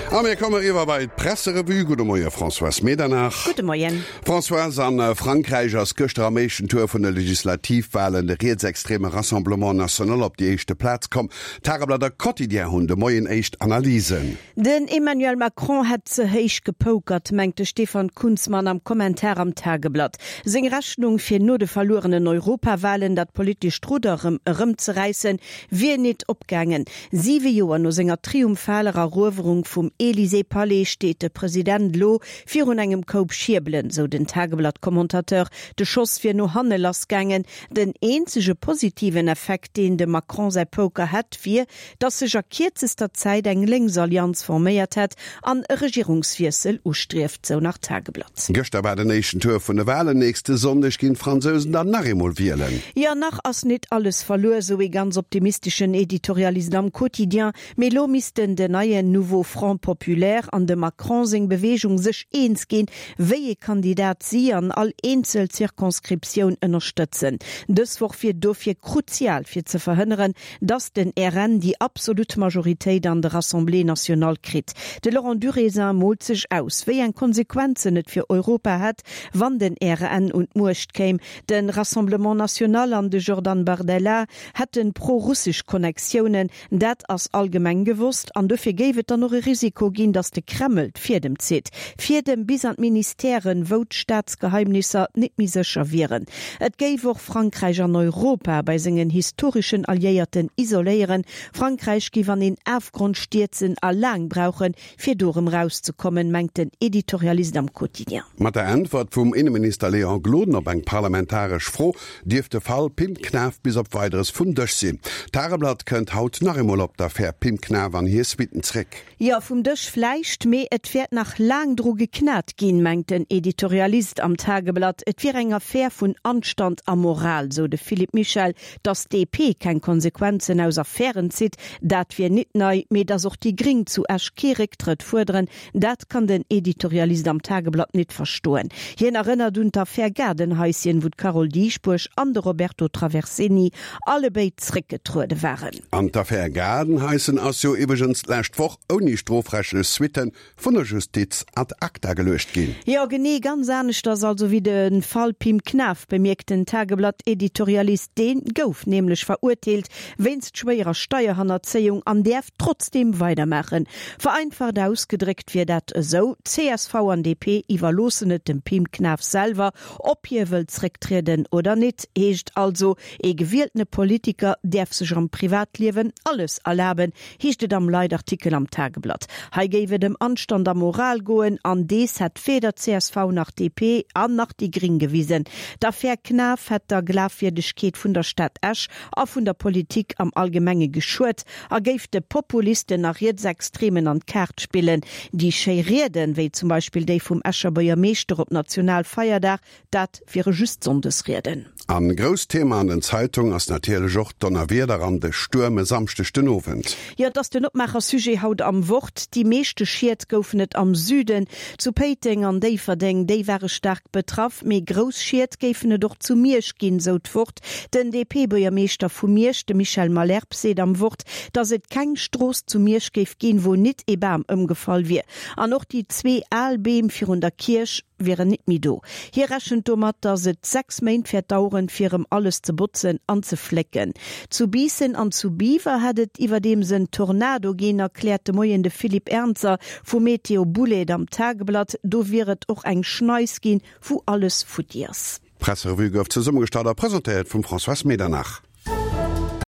A mir komme eriwwer bei d'Presserevue. Gudde Moie Françoise Medernach. Gudde Moien. Françoise, a Frankräich ass gëschter am éischten Tour vun de Legislativwalen de rietsextreme Rassemblement National op déi éischte Plaz komm. D'Tageblatt a Quotidien hunn de Moien éischt Analysen. Den Emmanuel Macron hätt ze héich gepokert, mengt de Stefan Kunzmann am Kommentar am Tageblatt. Seng Rechnung, fir no de verluerenen Europawalen dat politescht Rudder erëm erëmzeräissen, wier nit opgaangen. Siwe Joer no senger triumphaler Eruewerung vum Elysée-Palais steet de President lo virun engem Koup Schierbelen, sou den Tageblatt-Commentateur. De Schoss wier no hanne lassgaangen. Den eenzege positiven Effekt, deen dem Macron säi Poker hätt, wier, datt sech a kierzester Zäit eng Lénksallianz forméiert hätt an e Regierungswiessel ustrieft, sou nach d'Tageblatt. Gëschter war den éischten Tour vun de Walen. Nächste Sonndeg ginn d'Fransousen dann nach eemol wielen. Jo, nach ass nit alles verluer, sou ee ganz optimisteschen Editorialist am Quotidien. Mee elo missten den neien Nouveau Front Populaire an dem Macron seng Beweegung sech eens ginn, wéi ee Kandidat si an all eenzel Circonscriptioun ënnerstëtzen. Dës Woch wier dofir kruzial, fir ze verhënneren, datt den RN déi absolut Majoritéit an der Assemblée nationale kritt. De Laurent Durézin moolt sech aus, wéi eng Konsequenzen et fir Europa hätt, wann den RN un d'Muecht kéim. De Rassemblement National an de Jordan Bardella hätte pro-russesch Connectiounen, Dat ass allgemeng gewosst an dofir géif et dann och e Risiko ginn, datt de Kreml d'Fiedem zitt. Fiedem bis an d'Ministèren, wou d'Staatsgeheimnisser nit méi sécher wieren. Et géif och Frankräich an Europa bei sengen historeschen Alliéierten isoléieren. Frankräich géif an een Afgrond stierzen a laang brauchen, fir do erëm rauszekommen, mengt den Editorialist am Quotidien. Mat der Äntwert vum Inneminister Léon Gloden op eng parlamentaresch Fro dierft de Fall Pim Knaff bis op Weideres vum Dësch sinn. D'Tageblatt kënnt haut nach eemol op d'Affär Pim Knaff an hir Suitten zréck. Jo, vum Dësch vläicht, mee et wäert nach laang dru geknat ginn, mengt den Editorialist am Tageblatt. Et wier eng Affär vun Anstand a Moral, sou de Philippe Michel. Datt d'DP keng Konsequenzen aus Affären zitt, dat wier nit nei, mee datt och déi Gring zu Esch kee Récktrëtt fuerderen, dat kann den Editorialist am Tageblatt nit verstoen. Hien erënnert un d'Affär Gaardenhaischen, wou d'Carole Dieschbourg an de Roberto Traversini allebéid zréckgetruede waren. An d'Affär Gaardenhaischen ass jo iwwregens d'lescht Woch ouni strofrechtlech Suitten vun der Justiz ad acta geluecht ginn. Jo, genee, ganz aneschters also wéi de Fall Pim Knaff, bemierkt den Tageblatt-Editorialist. Dee gouf nämlech verurteelt wéinst schwéierer Steierhannerzéiung an däerf trotzdeem weidermaachen. Vereinfacht ausgedréckt wier dat esou, csv an DP iwwerloossen et dem Pim Knaff selwer, ob hie wëll zrécktrieden oder nit. Heescht also, ee gewieltene Politiker däerf sech am Privatliewen alles erlaben, heescht et am Leitartikel am Tageblatt. Hei géif et ëm Anstand a Moral goen, an dees hätt weder csv nach DP an nach déi Gring gewisen. D'Affär Knaff hätt der Glafwierdegkeet vun der Stad Esch a vun der Politik am Allgemenge geschuet a géif de Populisten a Rietsextremen an d'Kaart spillen. Déi schéi Rieden, wéi zum Beispill déi vum Escher Buergermeeschter op Nationalfeierdag, Dat wiere just Sonndesrieden. An grousst Thema an den Zeitung ass natierlech och d'Donnerwieder an de Stuerm e Samschdeg den Owend. Jo, et ass den Opmaacher-Sujet haut am Wort. Déi meeschte Schied goufen et am Süden, zu Péiteng an Déifferdeng, déi ware staark betraff. Mee grouss Schied géifen et och zu Miersch ginn, sou d'Wort. Den DP-Buergermeeschter vu Miersch, de Michel Malherbe, seet am Wort, datt et keng Strooss zu Miersch géif ginn, wou nit ee Bam ëmgefall wier. An och déi zwee al Beem virun der Kierch wieren nit méi do. Hie rechent domat, datt et 6 Méint wäert daueren, fir erëm alles ze botzen an ze flécken. Zu Biissen an zu Biwer hätt et iwwerdeems en Tornado ginn, erkläert de Moien de Philippe Ernzer vu Météo Boulaide am Tageblatt. Do wier et och eng Schneis ginn, wou alles futti ass. D'Presserevue gouf zesummegestallt a presentéiert vum Françoise Medernach.